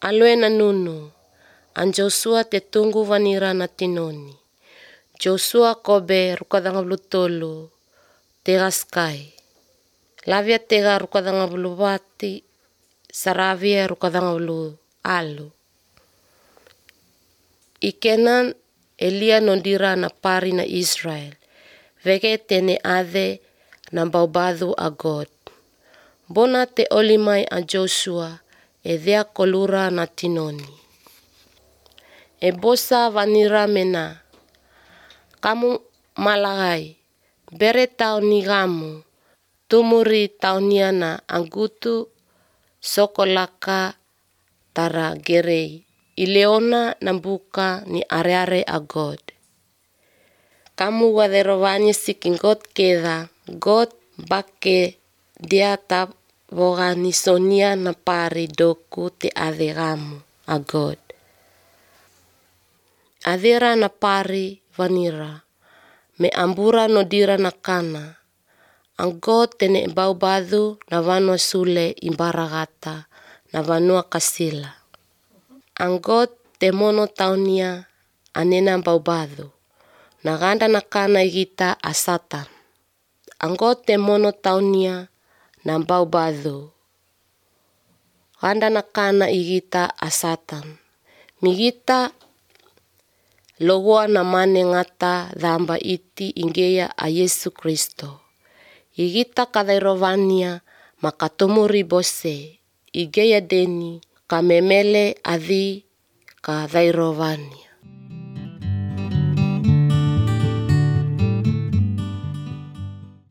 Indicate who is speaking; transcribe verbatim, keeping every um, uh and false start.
Speaker 1: Alue na nunu, an Joshua te tunggu vanira na tinoni. Joshua kobe rukadanga blu tolu, tega sky. Lavia tega rukadanga blu vati, saravia rukadanga blu alu. Ikenan Elia nondira na pari na Israel. Vege tene ade na baubadu a God. Bona te olimai a Joshua e dhea kolura na tinoni. E bosa vanira mena. Kamu malagai. Bere tau ni gamu. Tumuri tauniana angutu sokolaka tara gerei. Ileona nambuka ni areare a God. Kamu waderovani siking God keda. God bake dia tap vogani sonia na pari doku te adegamu a God. Adera na pari vanira. Me ambura no dira na kana. Ang God tene baubadu na vanua sule imbaragata na vanua kasila. Ang God te mono taunia anena baubadu. Na ganda na kana igita a Satan. Ang God te mono taunia na baubadu. Ganda na kana igita a Satan. Migita logoa na mane ngata dhamba iti ingeya a Yesu Kristo. Igita kadairovania makatumuri bose. Igeya deni kamemele adhi kadairovania.